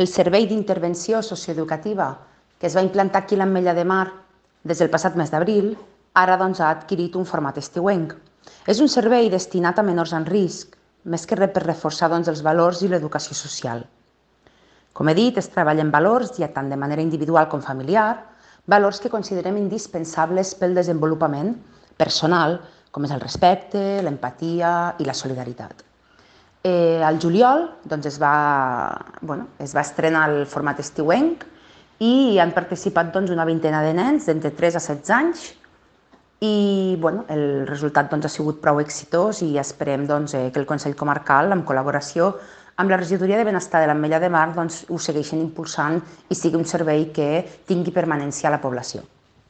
El servei d'intervenció socioeducativa que es va implantar aquí a l'Ametlla de Mar des del passat mes d'abril, ara ha adquirit un format estiuenc. És un servei destinat a menors en risc, més que res per reforçar els valors i l'educació social. Com he dit, es treballa en valors, ja tant de manera individual com familiar, valors que considerem indispensables pel desenvolupament personal, com és el respecte, l'empatia i la solidaritat. Al juliol es va estrenar el format estiuenc i han participat una vintena de nens d'entre 3 a 16 anys i el resultat ha sigut prou exitós i esperem que el Consell Comarcal, en col·laboració amb la Regidoria de Benestar de l'Ametlla de Mar, ho segueixin impulsant i sigui un servei que tingui permanència a la població.